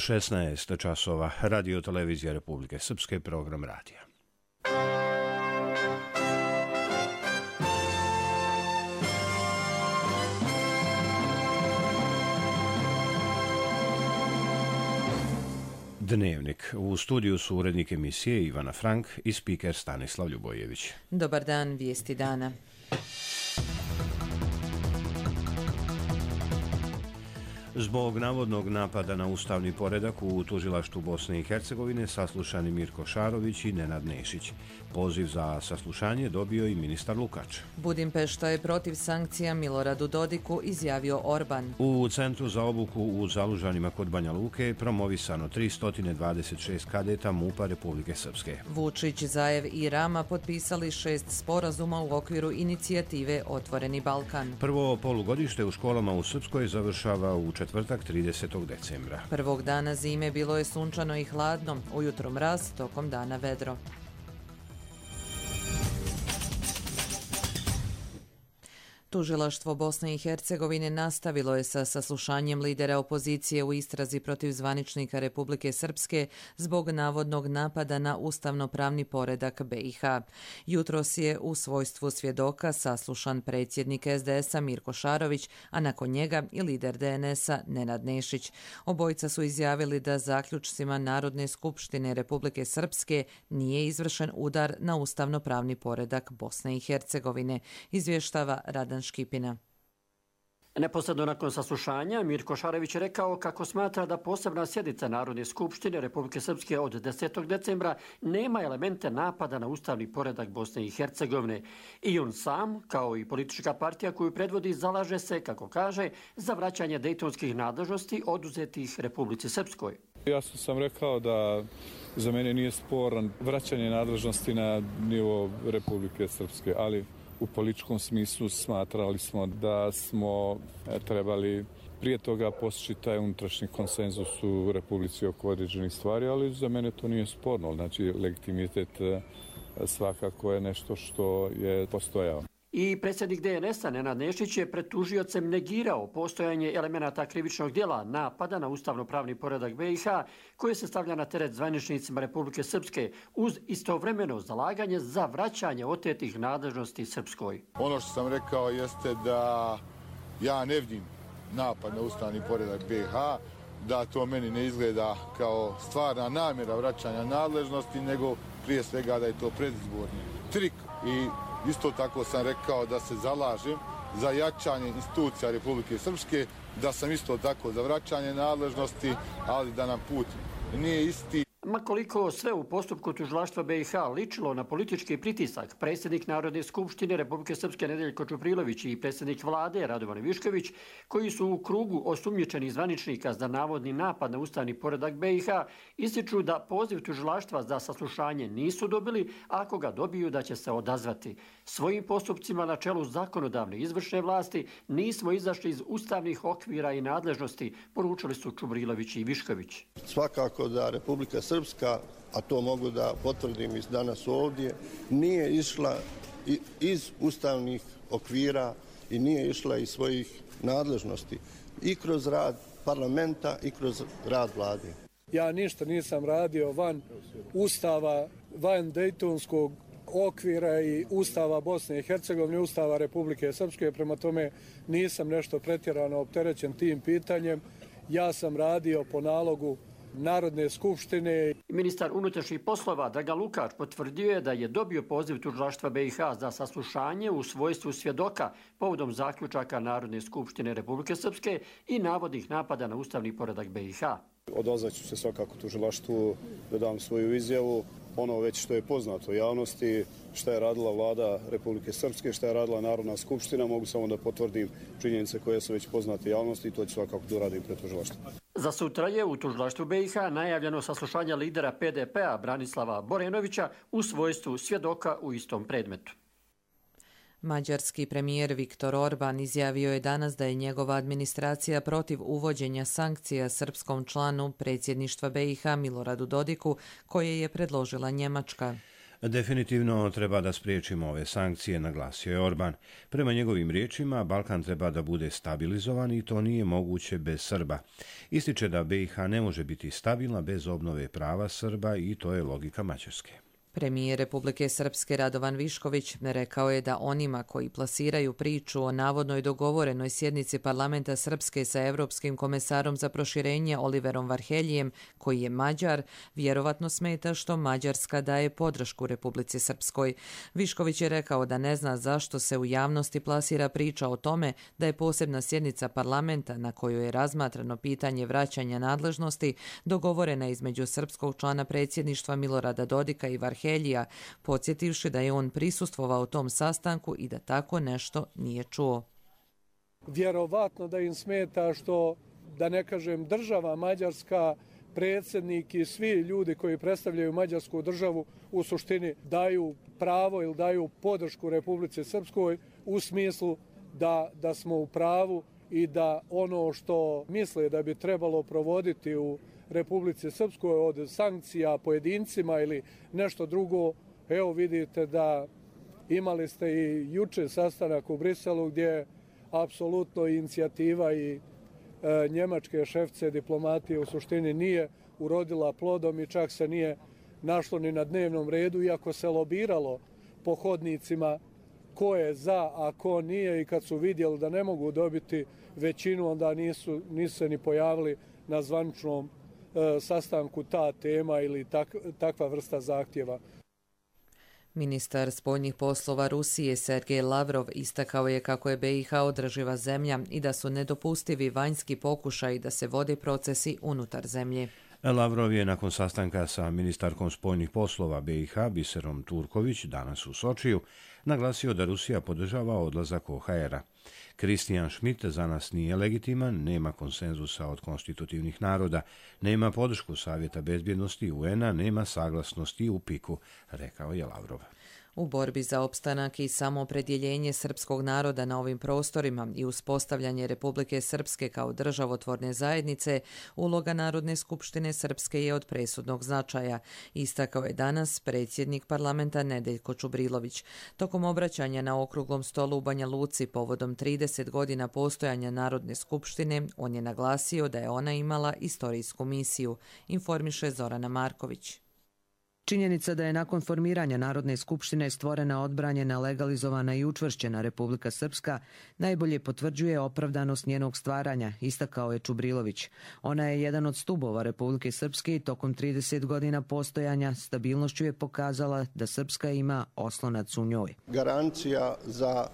16 časova, Radio Televizija Republike Srpske, program radija. Dnevnik. U studiju su urednik emisije Ivana Frank i spiker Stanislav Ljubojević. Dobar dan, vijesti dana. Zbog navodnog napada na ustavni poredak u tužilaštvu Bosne i Hercegovine saslušani Mirko Šarović i Nenad Nešić. Poziv za saslušanje dobio i ministar Lukač. Budimpešta je protiv sankcija Miloradu Dodiku, izjavio Orban. U Centru za obuku u Zalužanima kod Banja Luke je promovisano 326 kadeta MUP-a Republike Srpske. Vučić, Zaev i Rama potpisali 6 sporazuma u okviru inicijative Otvoreni Balkan. Prvo polugodište u školama u Srpskoj završava u četvrtak 30. decembra. Prvog dana zime bilo je sunčano i hladno, ujutro mraz, tokom dana vedro. Tužilaštvo Bosne i Hercegovine nastavilo je sa saslušanjem lidera opozicije u istrazi protiv zvaničnika Republike Srpske zbog navodnog napada na ustavno-pravni poredak BiH. Jutros je u svojstvu svjedoka saslušan predsjednik SDS-a Mirko Šarović, a nakon njega i lider DNS-a Nenad Nešić. Obojica su izjavili da zaključcima Narodne skupštine Republike Srpske nije izvršen udar na ustavno-pravni poredak Bosne i Hercegovine, izvještava Radan Škipina. Neposredno nakon saslušanja, Mirko Šarović je rekao kako smatra da posebna sjednica Narodne skupštine Republike Srpske od 10. decembra nema elemente napada na ustavni poredak Bosne i Hercegovine. I on sam, kao i politička partija koju predvodi, zalaže se, kako kaže, za vraćanje dejtonskih nadležnosti oduzetih Republici Srpskoj. Jasno sam rekao da za mene nije sporan vraćanje nadležnosti na nivo Republike Srpske, ali u političkom smislu smatrali smo da smo trebali prije toga postići taj unutrašnji konsenzus u Republici oko određenih stvari, ali za mene to nije sporno. Znači, legitimitet svakako je nešto što je postojao. I predsjednik DNS-a Nenad Nešić je pred tužiocem negirao postojanje elemenata krivičnog djela napada na ustavno-pravni poredak BiH koje se stavlja na teret zvaničnicima Republike Srpske uz istovremeno zalaganje za vraćanje otetih nadležnosti Srpskoj. Ono što sam rekao jeste da ja ne vidim napad na ustavni poredak BiH, da to meni ne izgleda kao stvarna namjera vraćanja nadležnosti, nego prije svega da je to predizborni trik. I isto tako sam rekao da se zalažem za jačanje institucija Republike Srpske, da sam isto tako za vraćanje nadležnosti, ali da nam put nije isti. Ma koliko sve u postupku tužilaštva BiH ličilo na politički pritisak, predsjednik Narodne skupštine Republike Srpske Nedeljko Čuprilović i predsjednik vlade Radovan Višković, koji su u krugu osumnjičenih zvaničnika za navodni napad na ustavni poredak BiH, ističu da poziv tužilaštva za saslušanje nisu dobili, a ako ga dobiju da će se odazvati. Svojim postupcima na čelu zakonodavne izvršne vlasti nismo izašli iz ustavnih okvira i nadležnosti, poručili su Čubrilović i Višković. Svakako da Republika Srpska, a to mogu da potvrdim i danas ovdje, nije išla iz ustavnih okvira i nije išla iz svojih nadležnosti i kroz rad parlamenta i kroz rad vlade. Ja ništa nisam radio van ustava, van dejtonskog okvira i ustava Bosne i Hercegovine, ustava Republike Srpske, prema tome nisam nešto pretjerano opterećen tim pitanjem. Ja sam radio po nalogu Narodne skupštine. Ministar unutrašnjih poslova Dragan Lukač potvrdio je da je dobio poziv tužilaštva BiH za saslušanje u svojstvu svjedoka povodom zaključaka Narodne skupštine Republike Srpske i navodnih napada na ustavni poredak BiH. Odazvaću se svakako tužilaštvu da dam svoju izjavu. Ono već što je poznato javnosti, šta je radila vlada Republike Srpske, šta je radila Narodna skupština, mogu samo da potvrdim činjenice koje su već poznate javnosti i to ću svakako da uradim pred tužilaštvom. Za sutra je u tužilaštvu BiH najavljeno saslušanje lidera PDP-a Branislava Borenovića u svojstvu svjedoka u istom predmetu. Mađarski premijer Viktor Orban izjavio je danas da je njegova administracija protiv uvođenja sankcija srpskom članu predsjedništva BiH Miloradu Dodiku, koje je predložila Njemačka. Definitivno treba da spriječimo ove sankcije, naglasio je Orban. Prema njegovim riječima, Balkan treba da bude stabilizovan i to nije moguće bez Srba. Ističe da BiH ne može biti stabilna bez obnove prava Srba i to je logika Mađarske. Premijer Republike Srpske Radovan Višković rekao je da onima koji plasiraju priču o navodnoj dogovorenoj sjednici parlamenta Srpske sa Evropskim komesarom za proširenje Oliverom Varheljijem, koji je Mađar, vjerovatno smeta što Mađarska daje podršku Republici Srpskoj. Višković je rekao da ne zna zašto se u javnosti plasira priča o tome da je posebna sjednica parlamenta na kojoj je razmatrano pitanje vraćanja nadležnosti dogovorena između srpskog člana predsjedništva Milorada Dodika i Varhelja, podsjetivši da je on prisustvovao tom sastanku i da tako nešto nije čuo. Vjerovatno da im smeta što, da ne kažem, država Mađarska, predsjednik i svi ljudi koji predstavljaju Mađarsku državu u suštini daju pravo ili daju podršku Republici Srpskoj u smislu da smo u pravu i da ono što misle da bi trebalo provoditi u Republici Srpskoj od sankcija pojedincima ili nešto drugo. Evo vidite da imali ste i juče sastanak u Briselu gdje apsolutno inicijativa i njemačke šefice diplomatije u suštini nije urodila plodom i čak se nije našlo ni na dnevnom redu, iako se lobiralo po hodnicima ko je za, a ko nije, i kad su vidjeli da ne mogu dobiti većinu, onda nisu se ni pojavili na zvaničnom sastanku ta tema ili takva vrsta zahtjeva. Ministar spoljnih poslova Rusije Sergej Lavrov istakao je kako je BiH održiva zemlja i da su nedopustivi vanjski pokušaji da se vode procesi unutar zemlje. Lavrov je nakon sastanka sa ministarkom spoljnih poslova BiH Biserom Turković danas u Sočiju naglasio da Rusija podržava odlazak OHR-a. Kristijan Schmidt za nas nije legitiman, nema konsenzusa od konstitutivnih naroda, nema podršku Savjeta bezbjednosti UN-a, nema saglasnosti u PIK-u, rekao je Lavrov. U borbi za opstanak i samoopredjeljenje srpskog naroda na ovim prostorima i uspostavljanje Republike Srpske kao državotvorne zajednice, uloga Narodne skupštine Srpske je od presudnog značaja, istakao je danas predsjednik parlamenta Nedeljko Čubrilović. Tokom obraćanja na okruglom stolu u Banja Luci povodom 30 godina postojanja Narodne skupštine, on je naglasio da je ona imala istorijsku misiju, informiše Zorana Marković. Činjenica da je nakon formiranja Narodne skupštine stvorena, odbranjena, legalizovana i učvršćena Republika Srpska najbolje potvrđuje opravdanost njenog stvaranja, istakao je Čubrilović. Ona je jedan od stubova Republike Srpske i tokom 30 godina postojanja stabilnošću je pokazala da Srpska ima oslonac u njoj. Garancija za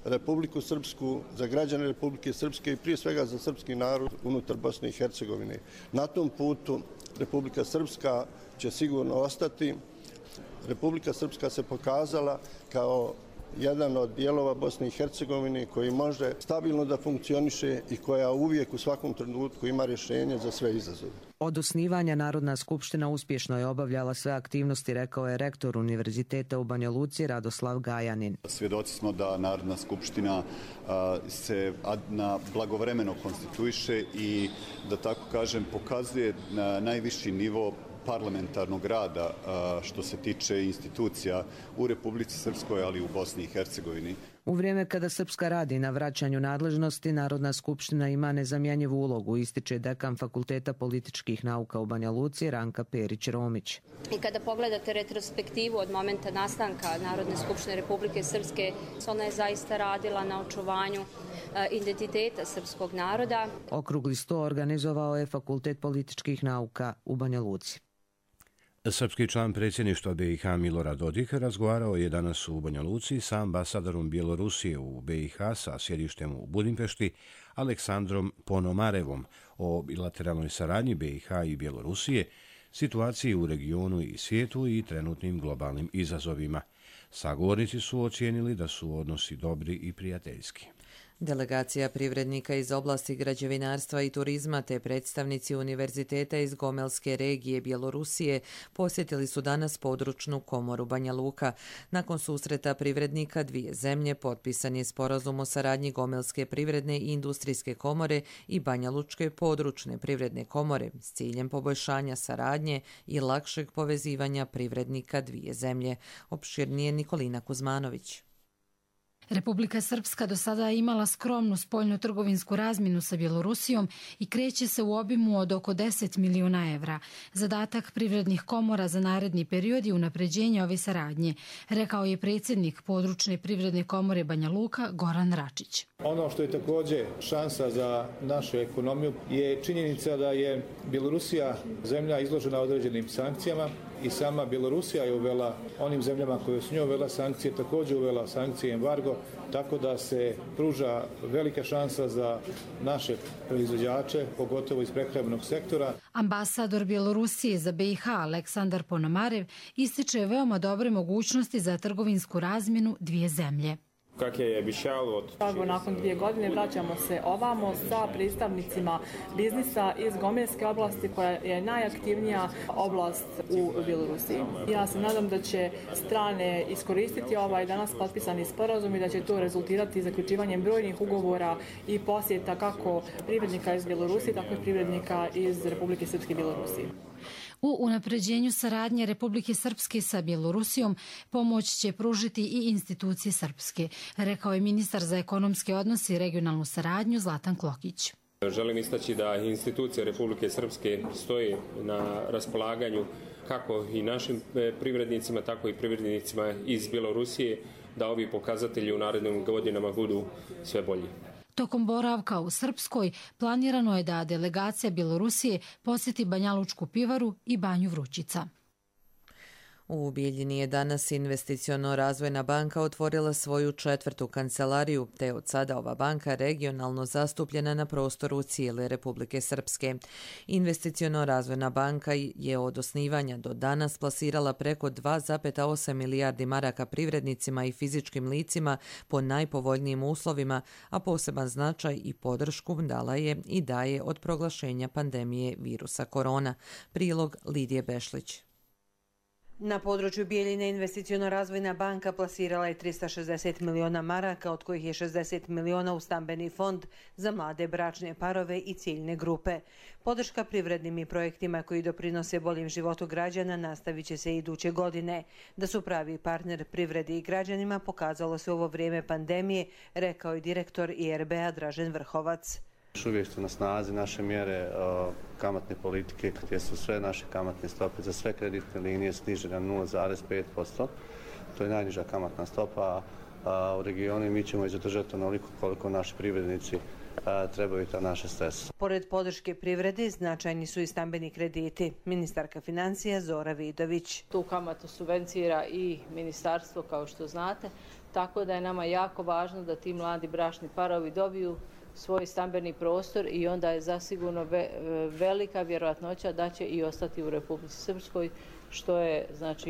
Republiku Srpsku, za građane Republike Srpske i prije svega za srpski narod unutar Bosne i Hercegovine. Na tom putu Republika Srpska će sigurno ostati. Republika Srpska se pokazala kao jedan od dijelova Bosne i Hercegovine koji može stabilno da funkcioniše i koja uvijek u svakom trenutku ima rješenje za sve izazove. Od osnivanja Narodna skupština uspješno je obavljala sve aktivnosti, rekao je rektor Univerziteta u Banja Luci Radoslav Gajanin. Svjedoci smo da Narodna skupština se blagovremeno konstituiše i, da tako kažem, pokazuje na najviši nivo parlamentarnog rada što se tiče institucija u Republici Srpskoj, ali i u Bosni i Hercegovini. U vrijeme kada Srpska radi na vraćanju nadležnosti, Narodna skupština ima nezamjenjivu ulogu, ističe dekan Fakulteta političkih nauka u Banja Luci Ranka Perić-Romić. I kada pogledate retrospektivu od momenta nastanka Narodne skupštine Republike Srpske, ona je zaista radila na očuvanju identiteta srpskog naroda. Okrugli sto organizovao je Fakultet političkih nauka u Banja Luci. Srpski član predsjedništva BiH Milorad Dodik razgovarao je danas u Banja Luci sa ambasadorom Bjelorusije u BiH sa sjedištem u Budimpešti Aleksandrom Ponomarevom o bilateralnoj saradnji BiH i Bjelorusije, situaciji u regionu i svijetu i trenutnim globalnim izazovima. Sagovornici su ocijenili da su odnosi dobri i prijateljski. Delegacija privrednika iz oblasti građevinarstva i turizma te predstavnici univerziteta iz Gomelske regije Bjelorusije posjetili su danas područnu komoru Banja Luka. Nakon susreta privrednika dvije zemlje potpisan je sporazum o saradnji Gomelske privredne i industrijske komore i Banja Lučke područne privredne komore s ciljem poboljšanja saradnje i lakšeg povezivanja privrednika dvije zemlje. Opširnije Nikolina Kuzmanović. Republika Srpska do sada je imala skromnu spoljno-trgovinsku razmjenu sa Bjelorusijom i kreće se u obimu od oko 10 miliona evra. Zadatak privrednih komora za naredni period je unapređenje ove saradnje, rekao je predsjednik područne privredne komore Banja Luka Goran Račić. Ono što je također šansa za našu ekonomiju je činjenica da je Bjelorusija zemlja izložena određenim sankcijama i sama Bjelorusija je uvela onim zemljama koje su njoj uvela sankcije, također uvela sankcije embargo, tako da se pruža velika šansa za naše proizvođače, pogotovo iz prehrambenog sektora. Ambasador Bjelorusije za BiH Aleksandar Ponomarev ističe veoma dobre mogućnosti za trgovinsku razmjenu dvije zemlje. Nakon 2 godine vraćamo se ovamo sa predstavnicima biznisa iz Gomelske oblasti koja je najaktivnija oblast u Bjelorusiji. Ja se nadam da će strane iskoristiti ovaj danas potpisani sporazum i da će to rezultirati zaključivanjem brojnih ugovora i posjeta kako privrednika iz Bjelorusije, tako i privrednika iz Republike Srpske i Bjelorusije. U unapređenju saradnje Republike Srpske sa Bjelorusijom pomoć će pružiti i institucije srpske, rekao je ministar za ekonomske odnose i regionalnu saradnju Zlatan Klokić. Želim istaći da institucije Republike Srpske stoje na raspolaganju kako i našim privrednicima, tako i privrednicima iz Bjelorusije, da ovi pokazatelji u narednim godinama budu sve bolji. Tokom boravka u Srpskoj planirano je da delegacija Bjelorusije posjeti Banja Lučku pivaru i Banju Vrućica. U Bijeljini je danas Investiciono-razvojna banka otvorila svoju 4. kancelariju, te od sada ova banka regionalno zastupljena na prostoru cijele Republike Srpske. Investiciono-razvojna banka je od osnivanja do danas plasirala preko 2,8 milijardi maraka privrednicima i fizičkim licima po najpovoljnijim uslovima, a poseban značaj i podršku dala je i daje od proglašenja pandemije virusa korona. Prilog Lidije Bešlić. Na području Bijeljine Investiciono-razvojna banka plasirala je 360 miliona maraka, od kojih je 60 miliona u stambeni fond za mlade bračne parove i ciljne grupe. Podrška privrednim i projektima koji doprinose boljem životu građana nastavit će se iduće godine. Da su pravi partner privredi i građanima pokazalo se u ovo vrijeme pandemije, rekao je direktor IRB-a Dražen Vrhovac. Još uvijek su na snazi naše mjere kamatne politike gdje su sve naše kamatne stope za sve kreditne linije snižene na 0,5%. To je najniža kamatna stopa u regionu i mi ćemo je zadržati onoliko koliko naši privrednici trebaju ta naša sredstva. Pored podrške privredi, značajni su i stambeni krediti. Ministarka financija Zora Vidović. Tu kamatu subvencira i ministarstvo, kao što znate, tako da je nama jako važno da ti mladi bračni parovi dobiju svoj stambeni prostor i onda je zasigurno velika vjerojatnoća da će i ostati u Republici Srpskoj, što je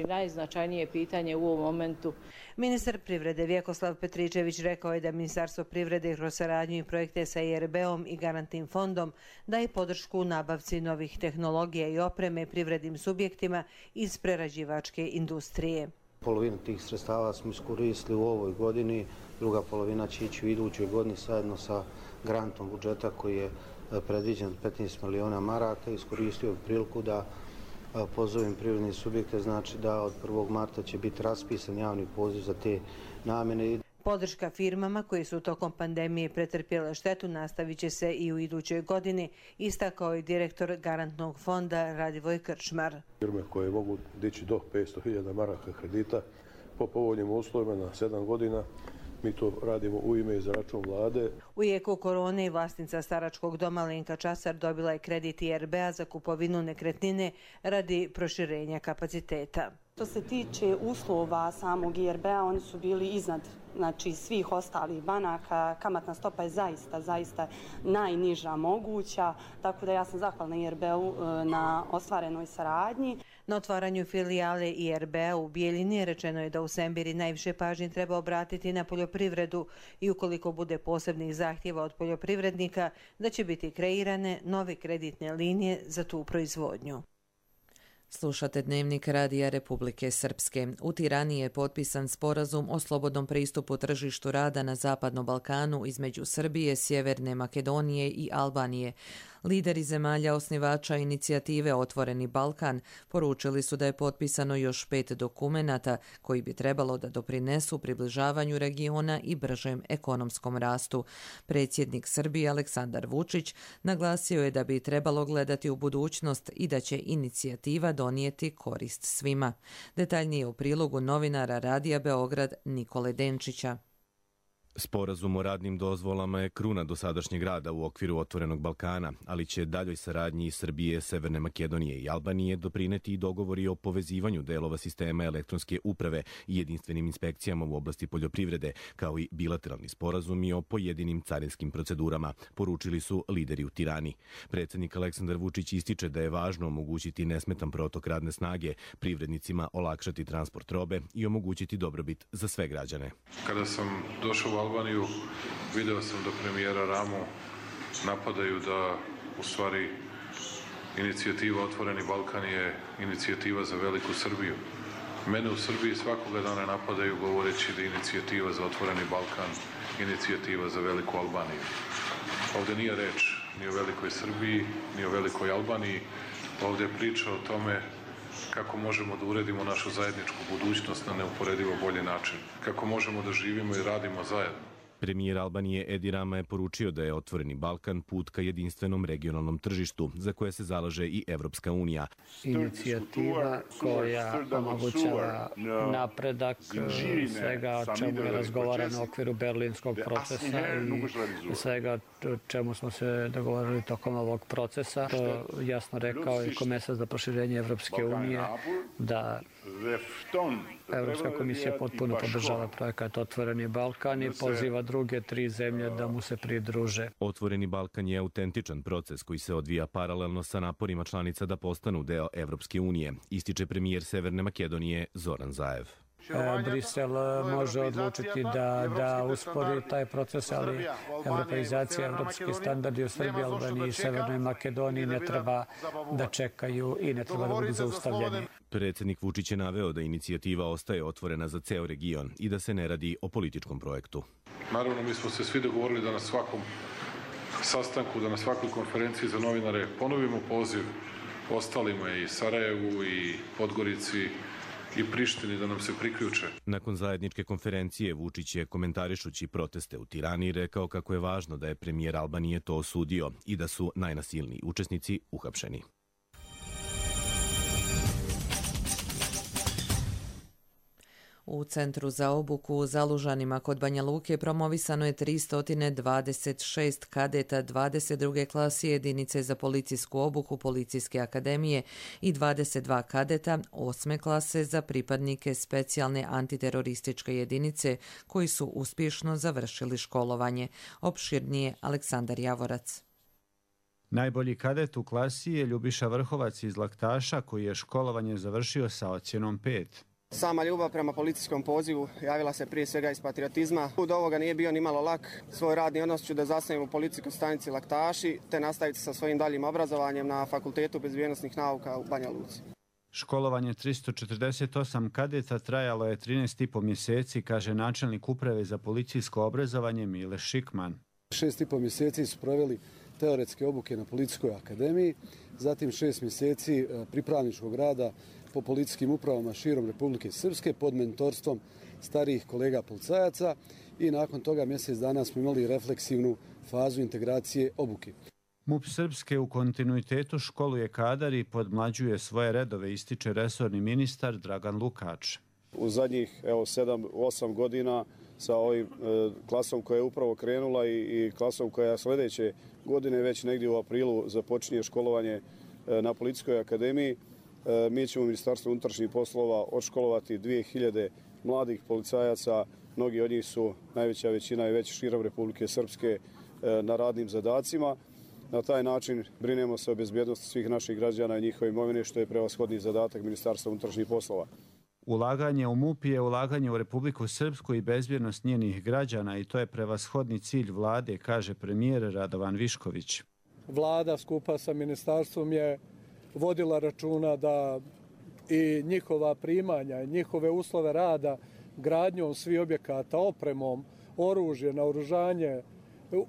najznačajnije pitanje u ovom momentu. Ministar privrede Vjekoslav Petričević rekao je da Ministarstvo privrede kroz saradnju i projekte sa IRB-om i garantnim fondom daje podršku u nabavci novih tehnologija i opreme privrednim subjektima iz prerađivačke industrije. Polovinu tih sredstava smo iskoristili u ovoj godini, druga polovina će ići u idućoj godini zajedno sa grantom budžeta koji je predviđen 15 miliona maraka. Iskoristio bih priliku da pozovem privredne subjekte, znači da od 1. marta će biti raspisan javni poziv za te namjene. Podrška firmama koji su tokom pandemije pretrpjele štetu nastavit će se i u idućoj godini, istakao je direktor garantnog fonda Radivoj Krčmar. Firme koje mogu dići do 500.000 maraka kredita po povoljnim uslovima na 7 godina, mi to radimo u ime i za račun vlade. U jeku korone vlasnica staračkog doma Lenka Časar dobila je kredit IRB-a za kupovinu nekretnine radi proširenja kapaciteta. Što se tiče uslova samog IRB-a, oni su bili iznad svih ostalih banaka. Kamatna stopa je zaista najniža moguća, tako da ja sam zahvalna IRB-u na ostvarenoj saradnji. Na otvaranju filijale IRB-a u Bijeljini rečeno je da u Sembiri najviše pažnje treba obratiti na poljoprivredu i ukoliko bude posebnih zahtjeva od poljoprivrednika, da će biti kreirane nove kreditne linije za tu proizvodnju. Slušate Dnevnik Radija Republike Srpske. U Tirani je potpisan sporazum o slobodnom pristupu tržištu rada na Zapadnom Balkanu između Srbije, Sjeverne Makedonije i Albanije. Lideri zemalja osnivača inicijative Otvoreni Balkan poručili su da je potpisano još 5 dokumenata koji bi trebalo da doprinesu približavanju regiona i bržem ekonomskom rastu. Predsjednik Srbije Aleksandar Vučić naglasio je da bi trebalo gledati u budućnost i da će inicijativa donijeti korist svima. Detaljnije u prilogu novinara Radija Beograd Nikole Denčića. Sporazum o radnim dozvolama je kruna dosadašnjeg rada u okviru Otvorenog Balkana, ali će daljoj saradnji Srbije, Severne Makedonije i Albanije doprineti i dogovori o povezivanju delova sistema elektronske uprave i jedinstvenim inspekcijama u oblasti poljoprivrede, kao i bilateralni sporazumi o pojedinim carinskim procedurama, poručili su lideri u Tirani. Predsjednik Aleksandar Vučić ističe da je važno omogućiti nesmetan protok radne snage, privrednicima olakšati transport robe i omogućiti dobrobit za sve građane. Kada sam došao u Albaniju, video sam da premijera Ramu napadaju da u stvari inicijativa Otvoreni Balkan je inicijativa za veliku Srbiju. Mene u Srbiji svakoga dana napadaju govoreći da je inicijativa za Otvoreni Balkan inicijativa za veliku Albaniju. Ovdje nije reč ni o velikoj Srbiji, ni o velikoj Albaniji. Ovdje je priča o tome kako možemo da uredimo našu zajedničku budućnost na neuporedivo bolji način, kako možemo da živimo i radimo zajedno. Premijer Albanije Edi Rama je poručio da je Otvoreni Balkan put ka jedinstvenom regionalnom tržištu, za koje se zalaže i Evropska unija. Inicijativa koja omogućava napredak svega o čemu je razgovarano u okviru berlinskog procesa i svega o čemu smo se dogovorili tokom ovog procesa. To jasno rekao i komesar za proširenje Evropske unije da Evropska komisija potpuno podržava projekat Otvoreni Balkan i poziva druge 3 zemlje da mu se pridruže. Otvoreni Balkan je autentičan proces koji se odvija paralelno sa naporima članica da postanu deo Evropske unije, ističe premijer Severne Makedonije Zoran Zaev. Brisel može odlučiti da uspori taj proces, ali evropeizacija, evropski standardi u Srbiji, Albaniji i Severnoj Makedoniji ne treba da čekaju i ne treba da budu zaustavljeni. Predsjednik Vučić je naveo da inicijativa ostaje otvorena za ceo region i da se ne radi o političkom projektu. Naravno, mi smo se svi dogovorili da na svakom sastanku, da na svakoj konferenciji za novinare ponovimo poziv ostalima i Sarajevu i Podgorici i Prištini da nam se priključe. Nakon zajedničke konferencije Vučić je komentarišući proteste u Tirani rekao kako je važno da je premijer Albanije to osudio i da su najnasilniji učesnici uhapšeni. U Centru za obuku u Zalužanima kod Banja Luke promovisano je 326 kadeta 22. klase jedinice za policijsku obuku Policijske akademije i 22 kadeta 8. klase za pripadnike specijalne antiterorističke jedinice koji su uspješno završili školovanje. Opširnije Aleksandar Javorac. Najbolji kadet u klasi je Ljubiša Vrhovac iz Laktaša koji je školovanje završio sa ocjenom 5. Sama ljubav prema policijskom pozivu javila se prije svega iz patriotizma. Put ovoga nije bio ni malo lak. Svoj radni odnos ću da zasnujem u policijskoj stanici Laktaši, te nastaviti sa svojim daljim obrazovanjem na Fakultetu bezbjednosnih nauka u Banja Luci. Školovanje 348 kadeta trajalo je 13,5 mjeseci, kaže načelnik uprave za policijsko obrazovanje Mile Šikman. 6,5 mjeseci su proveli teoretske obuke na Policijskoj akademiji, zatim 6 mjeseci pripravničkog rada po policijskim upravama širom Republike Srpske pod mentorstvom starijih kolega policajaca i nakon toga mjesec dana smo imali refleksivnu fazu integracije obuke. MUP Srpske u kontinuitetu školuje kadar i podmlađuje svoje redove, ističe resorni ministar Dragan Lukač. U zadnjih 7-8 godina sa ovim klasom koja je upravo krenula i klasom koja sljedeće godine već negdje u aprilu započinje školovanje na Policijskoj akademiji. Mi ćemo u Ministarstvu unutrašnjih poslova odškolovati 2000 mladih policajaca. Mnogi od njih su, najveća većina je već širom Republike Srpske na radnim zadacima. Na taj način brinemo se o bezbjednosti svih naših građana i njihove imovine, što je prevashodni zadatak Ministarstva unutrašnjih poslova. Ulaganje u MUP je ulaganje u Republiku Srpsku i bezbjednost njenih građana i to je prevashodni cilj vlade, kaže premijer Radovan Višković. Vlada skupa sa ministarstvom je vodila računa da i njihova primanja, njihove uslove rada, gradnjom svih objekata, opremom, oružje, naoružanje,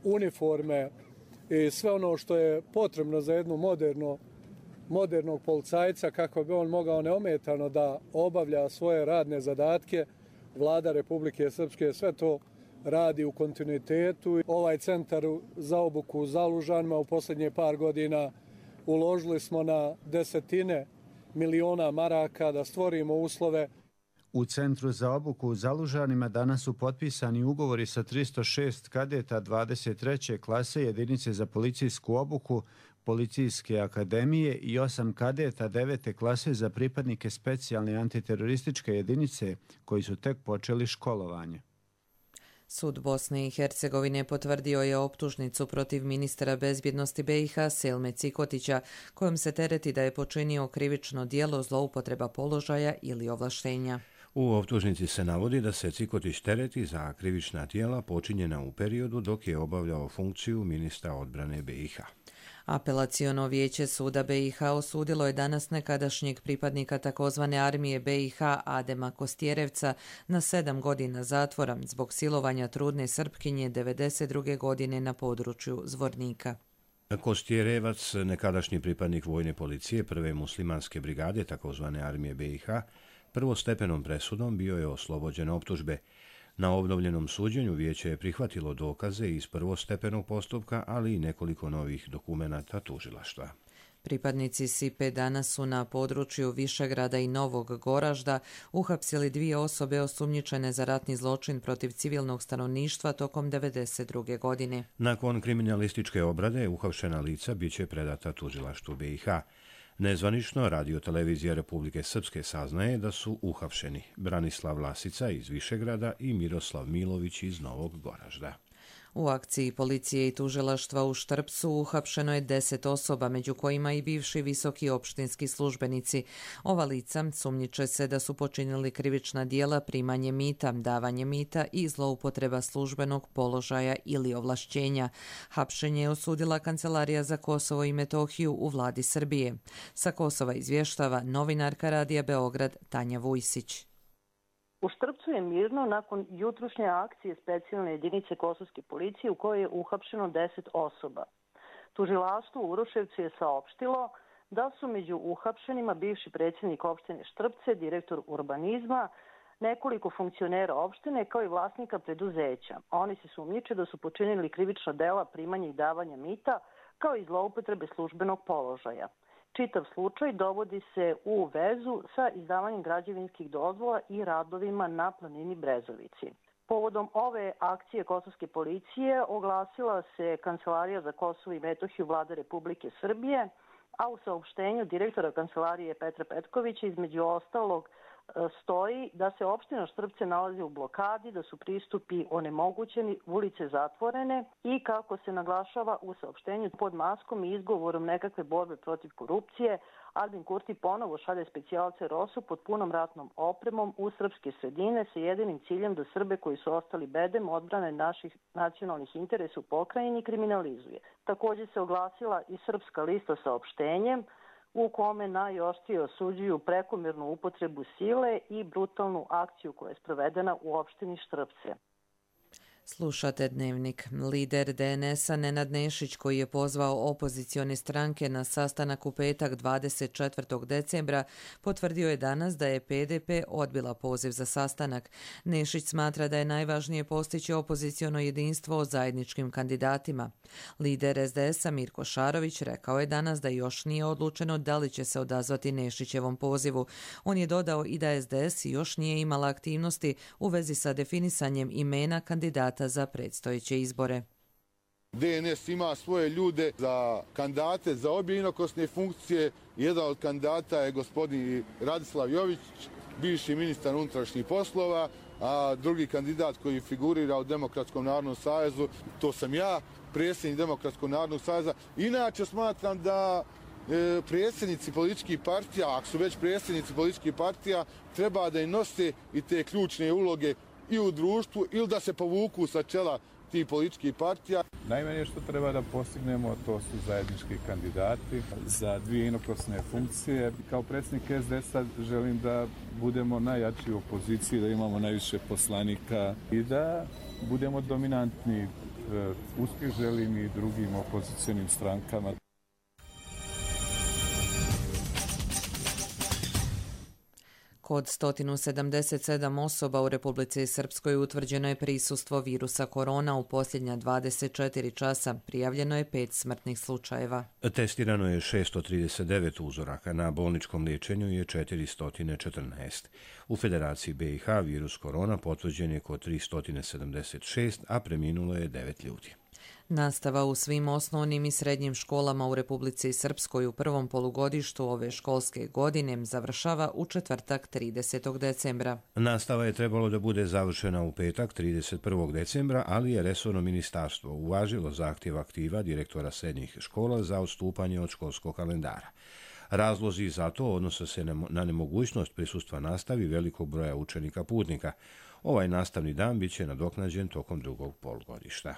uniforme i sve ono što je potrebno za jednu modernog policajca kako bi on mogao neometano da obavlja svoje radne zadatke. Vlada Republike Srpske sve to radi u kontinuitetu. Ovaj centar za obuku u Zalužanima u posljednje par godina uložili smo na desetine miliona maraka da stvorimo uslove. U Centru za obuku u Zalužanima danas su potpisani ugovori sa 306 kadeta 23. klase jedinice za policijsku obuku Policijske akademije i 8 kadeta 9. klase za pripadnike specijalne antiterorističke jedinice koji su tek počeli školovanje. Sud Bosne i Hercegovine potvrdio je optužnicu protiv ministra bezbjednosti BiH Selme Cikotića, kojom se tereti da je počinio krivično djelo zloupotreba položaja ili ovlaštenja. U optužnici se navodi da se Cikotić tereti za krivična djela počinjena u periodu dok je obavljao funkciju ministra odbrane BiH. Apelaciono vijeće suda BiH osudilo je danas nekadašnjeg pripadnika takozvane armije BiH Adema Kostjerevca na 7 godina zatvora zbog silovanja trudne Srpkinje 1992. godine na području Zvornika. Kostjerevac, nekadašnji pripadnik vojne policije prve muslimanske brigade takozvane armije BiH, prvostepenom presudom bio je oslobođen optužbe. Na obnovljenom suđenju vijeće je prihvatilo dokaze iz prvostepenog postupka, ali i nekoliko novih dokumenata tužilaštva. Pripadnici SIPE danas su na području Višegrada i Novog Goražda uhapsili 2 osobe osumnjičene za ratni zločin protiv civilnog stanovništva tokom 1992. godine. Nakon kriminalističke obrade, uhapšena lica biće predata tužilaštvu BiH. Nezvanično radiotelevizija Republike Srpske saznaje da su uhapšeni Branislav Lasica iz Višegrada i Miroslav Milović iz Novog Goražda. U akciji policije i tužilaštva u Štrpcu uhapšeno je 10 osoba, među kojima i bivši visoki opštinski službenici. Ova lica sumnjiče se da su počinili krivična djela primanje mita, davanje mita i zloupotreba službenog položaja ili ovlašćenja. Hapšenje je osudila Kancelarija za Kosovo i Metohiju u vladi Srbije. Sa Kosova izvještava novinarka Radija Beograd Tanja Vujsić. U Štrpcu je mirno nakon jutrušnje akcije specijalne jedinice kosovske policije u kojoj je uhapšeno 10 osoba. Tužilaštvo u Uroševcu je saopštilo da su među uhapšenima bivši predsjednik opštine Štrpce, direktor urbanizma, nekoliko funkcionera opštine kao i vlasnika preduzeća. Oni se sumnjiče da su počinili krivična dela primanja i davanja mita kao i zloupotrebe službenog položaja. Čitav slučaj dovodi se u vezu sa izdavanjem građevinskih dozvola i radovima na planini Brezovici. Povodom ove akcije kosovske policije oglasila se Kancelarija za Kosovo i Metohiju Vlade Republike Srbije, a u saopštenju direktora Kancelarije Petra Petkovića između ostalog stoji da se opština Štrpce nalazi u blokadi, da su pristupi onemogućeni, ulice zatvorene i kako se naglašava u saopštenju pod maskom i izgovorom nekakve borbe protiv korupcije, Albin Kurti ponovo šalje specijalce ROSU pod punom ratnom opremom u srpske sredine sa jedinim ciljem da Srbe koji su ostali bedem odbrane naših nacionalnih interesa u pokrajini kriminalizuje. Također se oglasila i Srpska lista saopštenjem u kome najoštrije osuđuju prekomjernu upotrebu sile i brutalnu akciju koja je sprovedena u opštini Štrpce. Slušate Dnevnik. Lider DNS-a Nenad Nešić, koji je pozvao opozicione stranke na sastanak u petak 24. decembra, potvrdio je danas da je PDP odbila poziv za sastanak. Nešić smatra da je najvažnije postići opoziciono jedinstvo o zajedničkim kandidatima. Lider SDS-a Mirko Šarović rekao je danas da još nije odlučeno da li će se odazvati Nešićevom pozivu. On je dodao i da SDS još nije imala aktivnosti u vezi sa definisanjem imena kandidata za predstojeće izbore. DNS ima svoje ljude za kandidate za obje inokosne funkcije. Jedan od kandidata je gospodin Radislav Jović, bivši ministar unutrašnjih poslova, a drugi kandidat koji figurira u Demokratskom narodnom savezu, to sam ja, predsjednik Demokratskog narodnog saveza. Inače smatram da predsjednici političkih partija, ako su već predsjednici političkih partija, treba da im nose i te ključne uloge i u društvu ili da se povuku sa čela tih političkih partija. Najmanje što treba da postignemo, to su zajednički kandidati za dvije inokosne funkcije. Kao predsjednik SDS-a želim da budemo najjači u opoziciji, da imamo najviše poslanika i da budemo dominantni. Uspjeh želim i drugim opozicionim strankama. Kod 177 osoba u Republici Srpskoj utvrđeno je prisustvo virusa korona u posljednja 24 časa. Prijavljeno je 5 smrtnih slučajeva. Testirano je 639 uzoraka, na bolničkom liječenju je 414. U Federaciji BiH virus korona potvrđen je kod 376, a preminulo je 9 ljudi. Nastava u svim osnovnim i srednjim školama u Republici Srpskoj u prvom polugodištu ove školske godine završava u četvrtak 30. decembra. Nastava je trebalo da bude završena u petak 31. decembra, ali je resorno ministarstvo uvažilo zahtjev aktiva direktora srednjih škola za odstupanje od školskog kalendara. Razlozi za to odnose se na nemogućnost prisustva nastavi velikog broja učenika putnika. Ovaj nastavni dan biće nadoknađen tokom drugog polugodišta.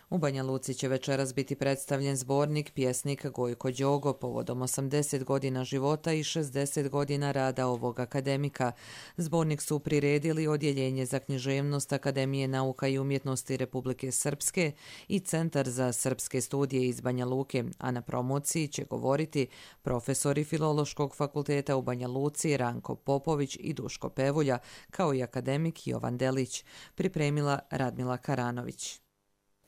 U Banja Luci će večeras biti predstavljen zbornik pjesnik Gojko Đogo povodom 80 godina života i 60 godina rada ovog akademika. Zbornik su priredili Odjeljenje za književnost Akademije nauka i umjetnosti Republike Srpske i Centar za srpske studije iz Banja Luke, a na promociji će govoriti profesori Filološkog fakulteta u Banja Luci Ranko Popović i Duško Pevulja, kao i akademik Jovan Delić, pripremila Radmila Karanović.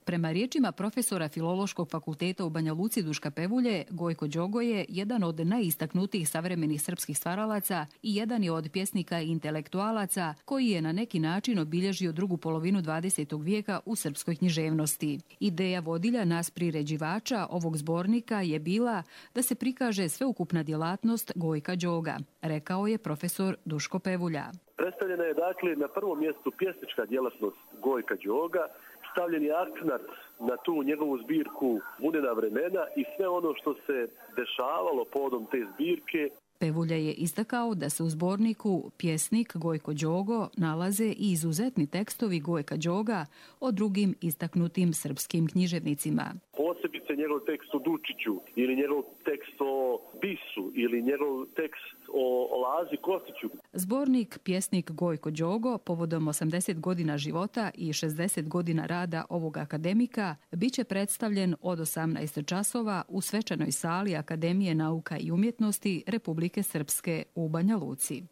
Prema riječima profesora Filološkog fakulteta u Banja Luci Duška Pevulje, Gojko Đogo je jedan od najistaknutijih savremenih srpskih stvaralaca i jedan je od pjesnika i intelektualaca koji je na neki način obilježio drugu polovinu 20. vijeka u srpskoj književnosti. Ideja vodilja nas priređivača ovog zbornika je bila da se prikaže sveukupna djelatnost Gojka Đoga, rekao je profesor Duško Pevulja. Predstavljena je dakle na prvom mjestu pjesnička djelatnost Gojka Đoga, stavljen je akcenat na tu njegovu zbirku Vunena vremena i sve ono što se dešavalo povodom te zbirke. Pevulja je istakao da se u zborniku Pjesnik Gojko Đogo nalaze i izuzetni tekstovi Gojka Đoga o drugim istaknutim srpskim književnicima. Posebice njegov tekst o Dučiću ili njegov tekst o Bisu ili njegov tekst o Lazi Kostiću. Zbornik Pjesnik Gojko Đogo povodom 80 godina života i 60 godina rada ovog akademika biće predstavljen od 18 časova u svečanoj sali Akademije nauka i umjetnosti Republike Srpske u Banja Luci.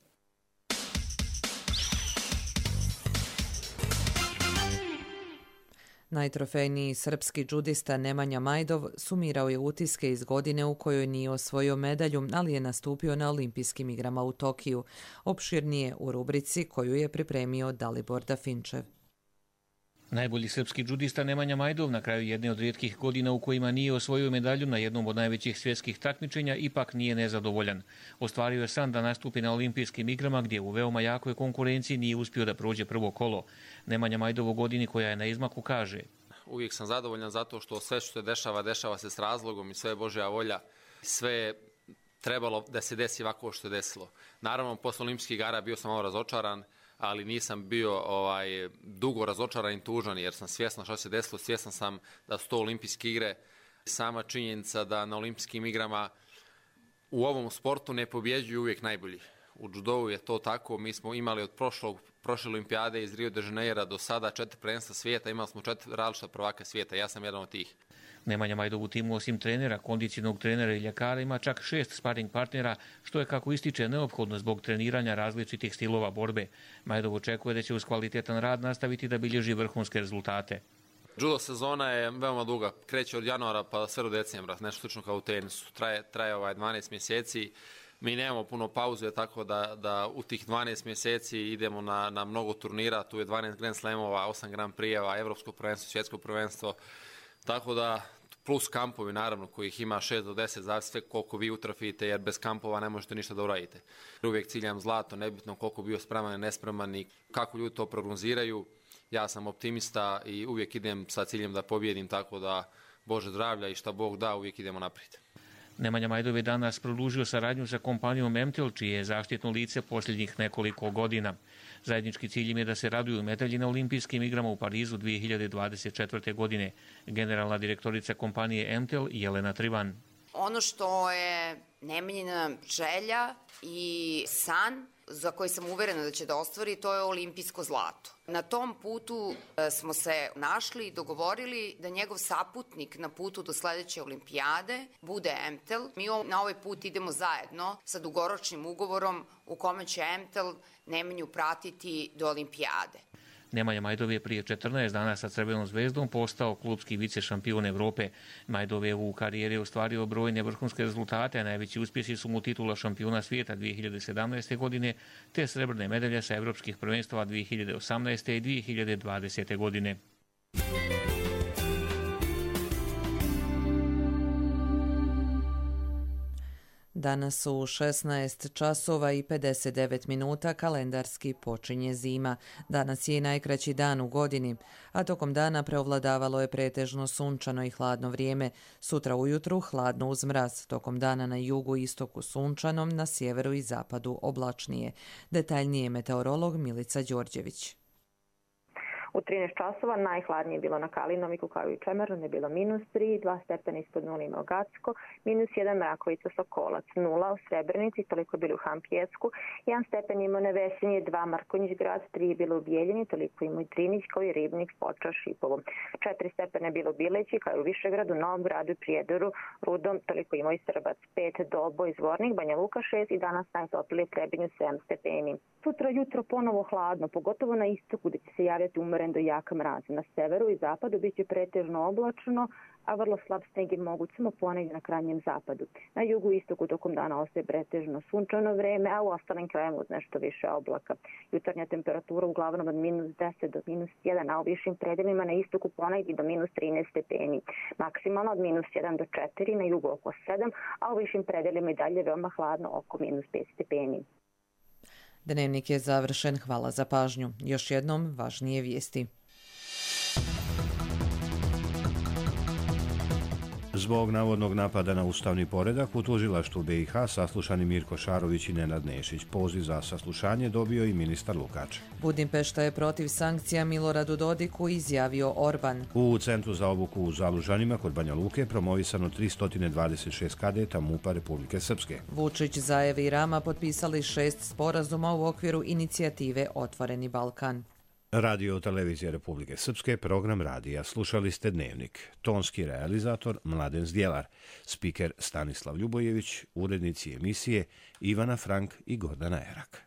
Najtrofejniji srpski džudista Nemanja Majdov sumirao je utiske iz godine u kojoj nije osvojio medalju, ali je nastupio na Olimpijskim igrama u Tokiju. Opširnije u rubrici koju je pripremio Dalibor Dafinčev. Najbolji srpski džudista Nemanja Majdov na kraju jedne od rijetkih godina u kojima nije osvojio medalju na jednom od najvećih svjetskih takmičenja ipak nije nezadovoljan. Ostvario je san da nastupi na Olimpijskim igrama gdje u veoma jakoj konkurenciji nije uspio da prođe prvo kolo. Nemanja Majdov u godini koja je na izmaku kaže: Uvijek sam zadovoljan zato što sve što se dešava, dešava se s razlogom i sve je Božja volja. Sve je trebalo da se desi ovako što je desilo. Naravno, posle Olimpijskih igara bio sam malo razočaran, ali nisam bio dugo razočaran i tužan jer sam svjestan što se desilo, svjestan sam da su to olimpijske igre. Sama činjenica da na olimpijskim igrama u ovom sportu ne pobjeđuju uvijek najbolji. U judovu je to tako, mi smo imali od prošle olimpijade iz Rio de Janeira do sada 4 prvenstva svijeta, imali smo 4 različita prvaka svijeta, ja sam jedan od tih. Nemanja Majdov u timu osim trenera, kondicionog trenera i ljekara ima čak 6 sparing partnera, što je, kako ističe, neophodno zbog treniranja različitih stilova borbe. Majdov očekuje da će uz kvalitetan rad nastaviti da bilježi vrhunske rezultate. Judo sezona je veoma duga, kreće od januara pa sve do decembra, nešto slično kao u tenisu. Traje 12 mjeseci. Mi nemamo puno pauze, tako da u tih 12 mjeseci idemo na mnogo turnira. Tu je 12 Grand Slamova, 8 Grand Prijeva, evropsko prvenstvo, svjetsko prvenstvo. Tako da, plus kampovi naravno, kojih ima 6 do 10, zavisi koliko vi utrafite, jer bez kampova ne možete ništa da uradite. Uvijek ciljam zlato, nebitno koliko bio spreman i nespreman i kako ljudi to prognoziraju. Ja sam optimista i uvijek idem sa ciljem da pobjedim, tako da Bože zdravlja i šta Bog da, uvijek idemo naprijed. Nemanja Majdov je danas produžio saradnju sa kompanijom Emtel, čije je zaštitno lice posljednjih nekoliko godina. Zajednički cilj im je da se raduju medalji na olimpijskim igrama u Parizu 2024. godine. Generalna direktorica kompanije Emtel Jelena Trivan. Ono što je Nemanjina želja i san za koji sam uverena da će da ostvari, to je olimpijsko zlato. Na tom putu smo se našli i dogovorili da njegov saputnik na putu do sledeće olimpijade bude Emtel. Mi na ovaj put idemo zajedno sa dugoročnim ugovorom u kome će Emtel Nemanju pratiti do olimpijade. Nemanja Majdov je prije 14 dana sa Crvenom zvezdom postao klubski vicešampion Evrope. Majdov je u karijeri ostvario brojne vrhunske rezultate, a najveći uspjesi su mu titula šampiona svijeta 2017. godine te srebrne medalje sa evropskih prvenstava 2018. i 2020. godine. Danas su 16 časova i 59 minuta, kalendarski počinje zima. Danas je i najkraći dan u godini, a tokom dana preovladavalo je pretežno sunčano i hladno vrijeme. Sutra ujutru hladno uz mraz, tokom dana na jugu i istoku sunčanom, na sjeveru i zapadu oblačnije. Detaljnije meteorolog Milica Đorđević. U 13 časova najhladnije je bilo na Kalinoviku kao i u Čemernu, je bilo -3, 2 stepena ispod 0 ima Gacko, -1 Mrakovica Sokolac, 0 u Srebrenici, toliko je bilo u Hampjesku, 1 stepen ima na Vesenje, 2 Markonjić grad, 3 je bilo u Bijeljini, toliko ima i Drinić kao i Ribnik, Foča, Šipovo. 4 stepena je bilo u Bileći kao i u Višegradu, Novom Gradu i Prijedoru, Rudom, toliko ima i Srbac, 5 Dobo i Zvornik, Banja Luka 6 i danas najtoplije Trebinju 7 stepeni. Sutra jutro ponovo hladno, pogotovo na istoku gdje će se javljati umeren do jaka mraz. Na severu i zapadu bit će pretežno oblačno, a vrlo slab sneg je moguć samo ponegdje na krajnjem zapadu. Na jugu i istoku tokom dana ostaje pretežno sunčano vreme, a u ostalim krajevima uz nešto više oblaka. Jutarnja temperatura uglavnom od -10 do -1, a u višim predelima na istoku ponegdje do -13 stepeni. Maksimalno od -1 do 4, na jugu oko 7, a u višim predelima i dalje veoma hladno oko -5 stepeni. Dnevnik je završen, hvala za pažnju. Još jednom važnije vijesti. Zbog navodnog napada na ustavni poredak u tužilaštvu BiH saslušani Mirko Šarović i Nenad Nešić. Poziv za saslušanje dobio i ministar Lukač. Budimpešta je protiv sankcija Miloradu Dodiku, izjavio Orban. U Centru za obuku u Zalužanima kod Banja Luke promovisano 326 kadeta MUP-a Republike Srpske. Vučić, Zajev i Rama potpisali 6 sporazuma u okviru inicijative Otvoreni Balkan. Radio Televizija Republike Srpske, program radija. Slušali ste Dnevnik. Tonski realizator Mladen Zdjelar, spiker Stanislav Ljubojević, urednici emisije Ivana Frank i Gordana Erak.